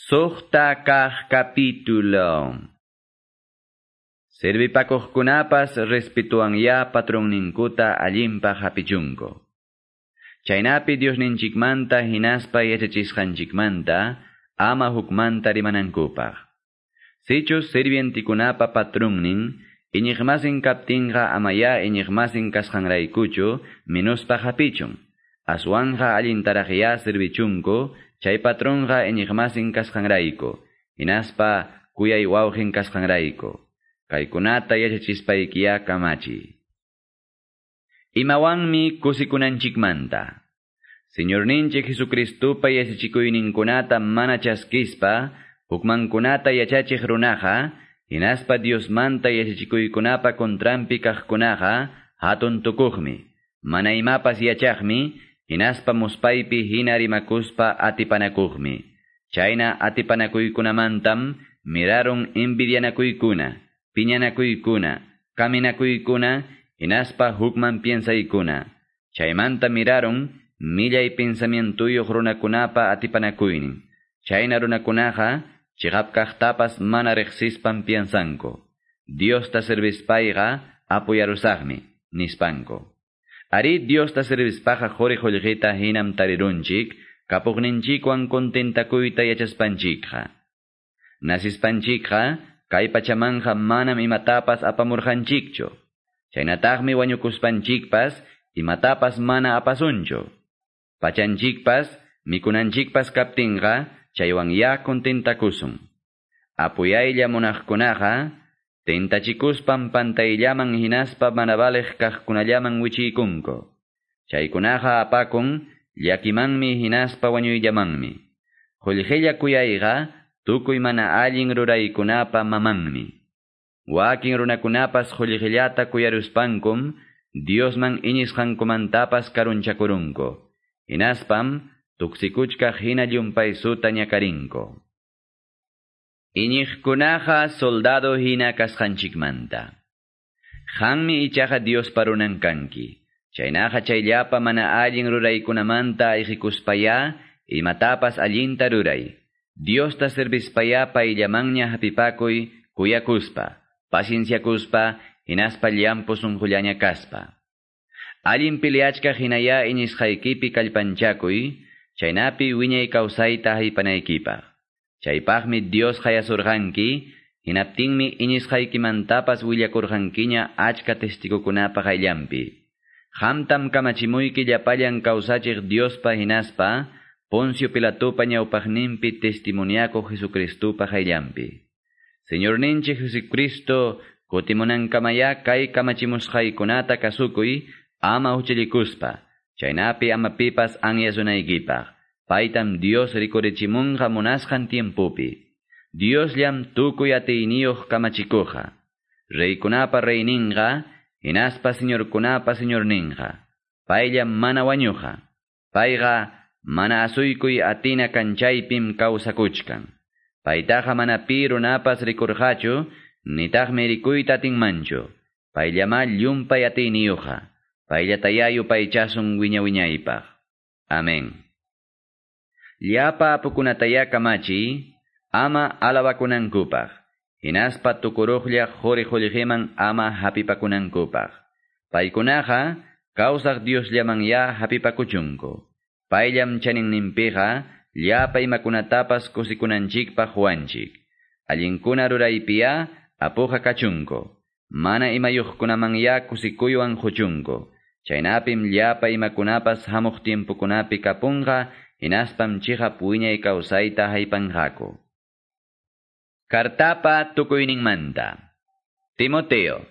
Suqta kaq capítulo. Servipakuqkunapas respetuanyá patronninkuta allinpaq hapichunku. Chaynapi Diosninchikmanta hinaspa yachachisqanchikmanta ama hukmanta rimanankupaq. Sichus sirvientikunapa patronnin iñiqmasin kaptinqa amaya iñiqmasin kasqanraykuchu minuspaq hapichun. Aswanja allintaraqyá servichunku chay patronqa iñiqmasin kasqanrayku, hinaspa kuyay wawqin kasqanrayku. Kaykunata yachachispaykiya kamachi. Imawanmi kusikunanchikmanta. Señorninchik Jesucristupa yachachikuyninkunata mana chaskispa, hukmankunata yachachiq runaqa, hinaspa Diosmanta yachachikuykunapa contranpi kaqkunaqa hatun tukuqmi, mana imapas yachaqmi, hinaspa muspaypi hina rimakuspa atipanakuqmi. Chayna atipanakuykunamantam mirarun envidianakuykuna, piñanakuykuna, kaminakuykuna, hinaspa hukman piensaykuna. Chaymanta mirarun millay pensamientuyuq runakunapa atipanakuynin. Chayna runakunaqa chiqap kaqtapas mana riqsispan piensanku. Diosta servispayqa apuyarusaqmi, nispanku. Ari Diosta servispaqa quri qullqita hinam tarirunchik, kapuqninchikwan contentakuyta yachaspanchikqa. Nasispanchikqa, kay pachamanja manam imatapas apamurqanchikchu. Chaynataqmi wañukuspanchikpas, imatapas mana apasunchu. Pachanchikpas, mikunanchikpas kaptinqa, chaywan ya contentakusun. Apuyaylla munaqkunaqa, tentachikuspan pantayllaman hinaspa mana valeq kaqkunallaman wichiykunku. Chaykunaqa apakun, llakimanmi hinaspa wañuyllamanmi. Qullqilla kuyayqa, tukuy mana allin ruraykunapa mamanmi. Wakin runakunapas qullqillata kuyaruspankum, Diosman iñisqankumantapas karunchakurunku. Hinaspam, tuksikuchkaq hina llumpaysuta ñakarinku. Iñiqkunaqa soldado hina kasqanchikmanta. Qanmi ichaqa Diospa runan kanki. Chaynaqa chayllapa mana allin ruraykunamanta ayqikuspayá, imatapas allinta ruray. Diosta servispayá payllamanña hapipakuy kuyakuspa, pacienciakuspa, hinaspa llampu sunqullaña kaspa. Allin peleachkaq hinayá iñisqaykipi kallpanchakuy, chaynapi wiñay kawsayta haypanaykipaq. Chaypaqmi Dios hayasurqanki, hinaptinmi iñisqaykimantapas willakurqankiña achka testigukunapa qayllanpi. Qamtam kamachimuyki llapallan kawsachiq Diospa hinaspa, Poncio Pilatopa ñawpaqninpi testimoniakuq Jesucristupa qayllanpi. Señorninchik Jesucristo kutimunankamayá kay kamachimusqaykunata kasukuy, ama huchallikuspa, chaynapi ama pipas anyasunaykipaq. Paytam Dios rikurichimunqa munasqan tiempopi. Diosllam tukuy atiyniyuq kamachikuqqa. Reykunapa reyninqa, hinaspa señorkunapa señorninqa. Payllam mana wañuqa. Payqa mana asuykuy atina kanchaypim kawsakuchkan. Paytaqa mana pi runapas rikurqachu, nitaqmi rikuyta atinmanchu. Payllamá llumpay atiyniyuqqa. Payllatayá yupaychasun wiña wiñaypaq. Amén. Llapa apukunatayá kamachi, ama alabakunankupaq. Hinaspa tukuruqlla quri qullqiman ama hapipakunankupaq. Paykunaqa kawsaq Diosllaman hapipakuchunku. Payllam chaninninpiqa llapa imakunatapas kusikunanchikpaq huwanchik. Allinkuna ruraypiya apuqa kachunku. Mana imayuqkunaman ya kusikuywan quchunku. Chaynapim llapa imakunapas hamuq tiempokunapi kapunqa, hinaspam chiqap wiñay kawsayta haypanqaku. Kartapa tukuyninmanta. Timoteo,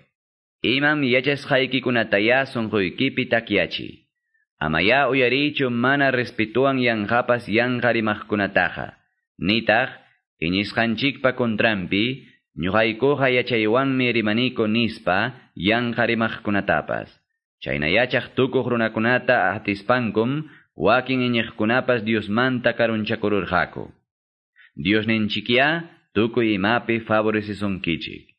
imam yachasqaykikunatayá sunquykipi takyachi. Amayá uyariychu mana respetuwan yanqapas yanqa rimaqkunataqa. Nitaq, iñisqanchikpa contranpi, ñuqaykuqa yachaywanmi rimaniku nispa yanqa rimaqkunatapas. Chayna yachaq tukuq runakunata atispankum, wakin iñiqkunapas Diosmanta karunchakururqaku. Diosninchikyá tukuy imapi favorecisunkichik.